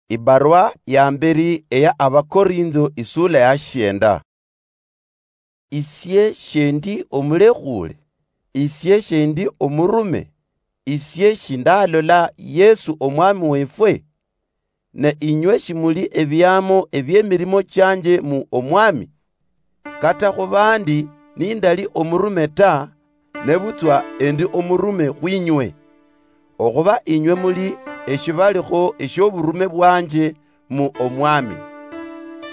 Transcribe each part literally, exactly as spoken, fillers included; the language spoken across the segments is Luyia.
Ibarwa ya mberi eya Abakorintho, isula ya shienda. Isie shendi omulekhule, isie shendi omurume, isie shindalola Yesu Omwami wefwe? Ne inywe shimuli ebiamo eby'emirimo chianje mu Omwami? Kata khubandi nindali omurume ta, nebutswa endi omurume khwinywe, okhuba inywe muli eshibalikho eshioburume bwanje mu Omwami.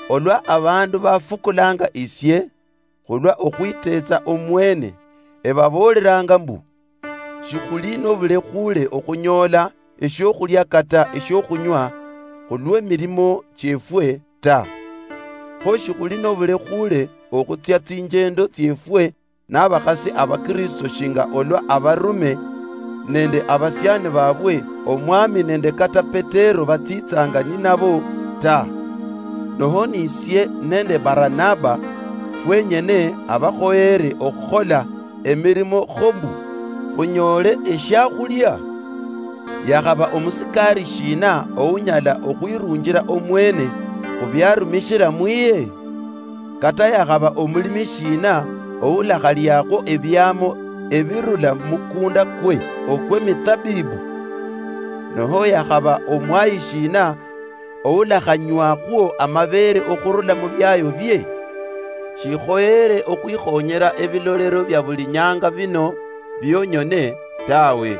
Olwa abandu bafukulanga isie khulwa okhwitetsa omwene, ebaboolelanga mbu, shikhuli nobulekhule okhunyoola eshiokhulia kata eshiokhunywa khulw'emirimo chiefwe ta. Kho shikhuli nobulekhule okhutsia tsinjendo tsiefwe nabakhasi Abakristo shinga olwa abarume nende abasiani babwe, Omwami nende kata Petero batsitsanga ninabo ta. Noho nisie nende Baranaba fwenyene abakhoyere okhukhola emirimo kho mbu khunyoole eshiakhulia? Yakhaba omusikari shina ounyala okhwirunjira omwene khubiarumishira mwiye? Kata yakhaba omulimi shina oulakhaliakho ebiamo ebirula mumukunda kwe okw'emitsabibu? Noho yakhaba omwayi shina oulakhanywakhwo amabeere okhurula mubiayo bie? Shikhoyere okhwikhonyera ebilolero bia buli nyanga bino bionyone tawe,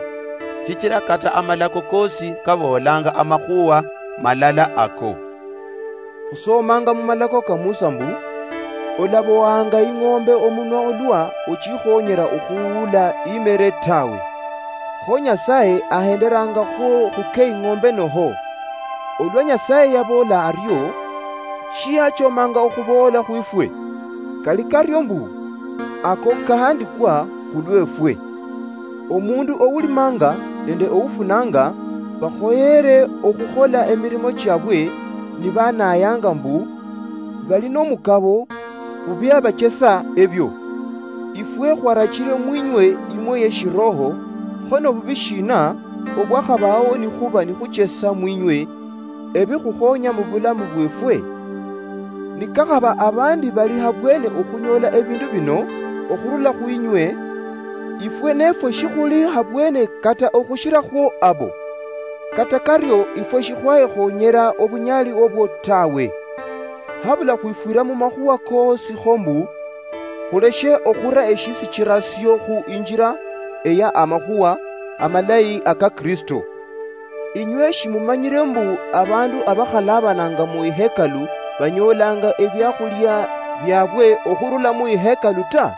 shichira kata amalako kosi kaboolanga amakhuwa malala ako. Khusomanga mumalako ka Musa mbu, olabohanga ing'ombe omunwa olwa ochikhonyera okhuula imere tawe. Kho Nyasaye ahenderangakhwo khukhe ing'ombe noho? Olwa Nyasaye yaboola ario, shiyachomanga okhuboola khwifwe? Kali kario mbu, ako kahandikwa khulwefwe. Omundu oulimanga nende oufunanga bakhoyere okhukhola emirimo chiabwe nibanayanga mbu bali nomukabo khubiabachesa ebio. Ifwe khwarachire mwinywe imwe yeshiroho, kho nobubi shina obwakhabaho nikhuba nikhuchesa mwinywe ebikhukhonya mubulamu bwefwe? Nikakhaba abandi bali habwene okhunyola ebindu bino okhurula khwinywe, ifwe nefwe shikhuli habwene kata okhushirakhwo abo. Kata kario ifwe shikhwayekhonyera obunyali obwo tawe. Habula khwifwira mumakhuwa koosi kho mbu khuleshe okhura eshisichirasio khu injira eya amakhuwa amalayi aka Kristo. Inywe shimumanyire mbu abandu abakhalabananga mu ihekalu banyoolanga ebiakhulia biabwe okhurula mu ihekalu ta?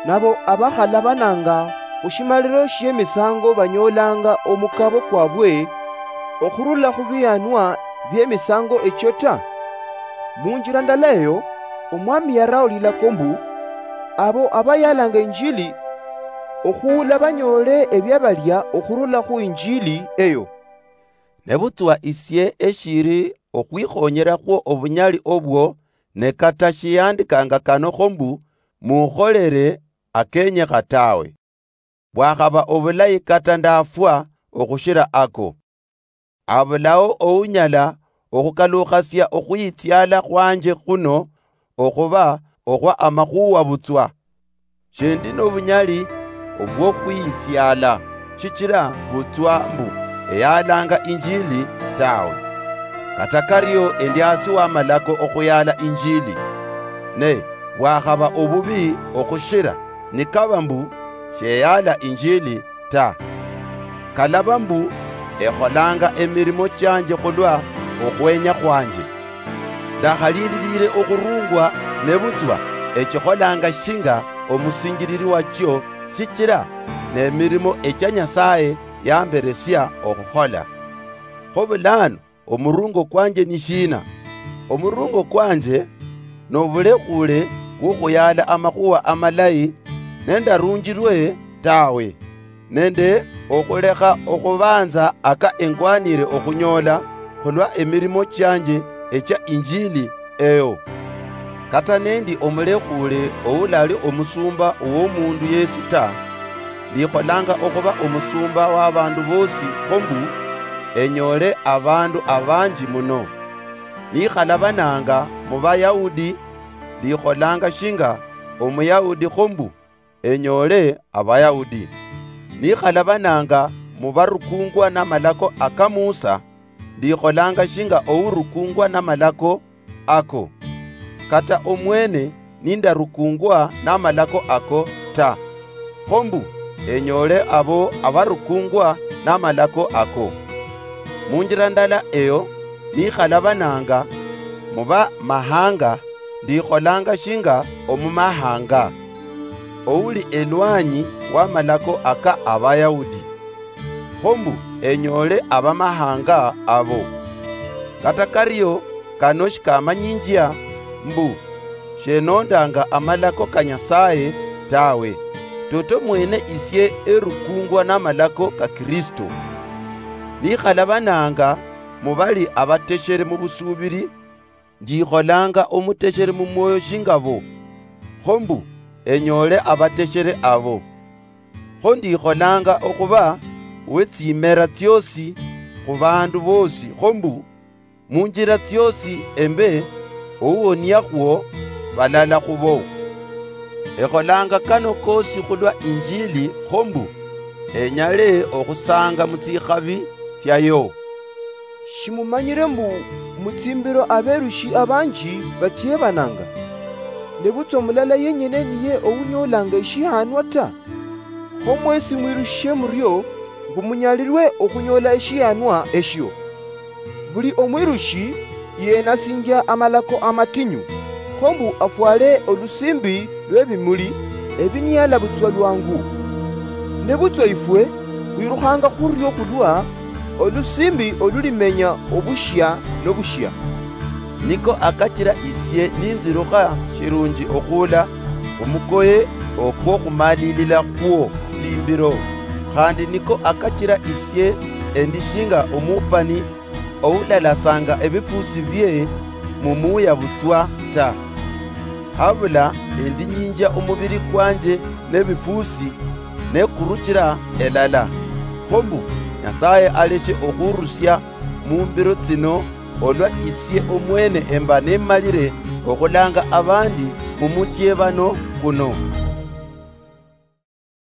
Nabo abakhalabananga khushimaliro shiemisango banyoolanga omukabo kwabwe okhurula khubianwa biemisango echio ta? Munjira ndala eyo, Omwami yaraho lilako mbu, abo abayalanga injili okhuula banyoole ebiabalia okhurula khu injili eyo. Nebutswa isie eshiri okhwikhonyerakhwo obunyali obwo, ne kata shiyandikanga kano kho mbu, mukholere akenyekha tawe. Bwakhaba obulayi kata ndafwa okhushira ako. Abulao ounyala okhukalukhasia okhwitsiala khwanje khuno okhuba okhwa amakhuwa butswa. Shendi nobunyali obwokhwitsiala, shichira butswa mbu eyalanga injili tawe. Kata kario endi hasi wamalako okhuyala injili. Ne bwakhaba obubi okhushira, nikaba mbu sheyala injili ta. Kalaba mbu ekholanga emirimo chianje khulwa okhwenya khwanje. Ndakhalindilile okhurungwa, nebutswa echikholanga shinga omusinjilili wachio, shichira nemirimo echia Nyasaye yamberesia okhukhola. Kho bulano omurungo kwanje ni shina? Omurungo kwanje nobulekhule bwokhuyala amakhuwa amalayi nendarunjilwe tawe, nende okhulekha okhubanza aka engwanire okhunyola khulwa emirimo chianje echia injili eyo. Kata nendi omulekhule oulali omusumba owomundu yesi ta, ndikholanga okhuba omusumba wabandu bosi, kho mbu enyoole abaandu abaangi muno. Nikhalabananga mu Bayahudi, ndikholanga shinga Omuyahudi kho mbu enyoole Abayahudi. Nikhalabananga mu barukungwa n'amalako aka Musa, ndikholanga shinga ourukungwa n'amalako ako, kata omwene nindarukungwa n'amalako ako ta, kho mbu enyoole abo abarukungwa n'amalako ako. Munjira ndala eyo, nikhalabananga mu bamahanga, ndikholanga shinga omumahanga, ouli elwanyi w'amalako aka Abayahudi, kho mbu enyoole abamahanga abo. Kata kario, kano shikamanyinjia mbu shenondanga amalako ka Nyasaye tawe, toto mwene isie erukungwa n'amalako ka Kristo. Nikhalabananga mu bali abateshere mu busubiri, ndikholanga omuteshere mu mwoyo shinga bo, kho mbu enyoole abateshere abo. Kho ndikholanga okhuba we tsimera tsiosi khu baandu boosi, kho mbu munjira tsiosi embe ouwoniakhwo balala khubo. Ekholanga kano koosi khulwa Injili, kho mbu enyale okhusanga mu tsikhabi tsiayo. Shimumanyire mbu mu tsimbiro aberushi abanji batiebananga? Nebutswa mulala yenyene niye ounyoolanga eshihanwa ta. Kho mwesi mwirushe murio, mbu munyalirwe okhunyoola eshihanwa eshio. Buli omwirushi yenasinjia amalako amatinyu, kho mbu afwale olusimbi lwebimuli ebiniala butswa lwangu. Nebutswa ifwe khwirukhanga khurio khulwa olusimbi olulimenya obushia nobushia. Niko akachira isie ninzirukha shirunji okhuula omukoye okwokhumalilila khwo tsimbiro, khandi niko akachira isie endi shinga omupani oulalasanga ebifusi bie mu muuya butswa ta. Habula endinyinjia omubiri kwanje nebifusi, nekuruchira elala, kho mbu Nyasaye aleshe okhurusia mu mbiro tsino, olwa isie omwene emba nemalire okhulanga abandi mu muchiebano kuno.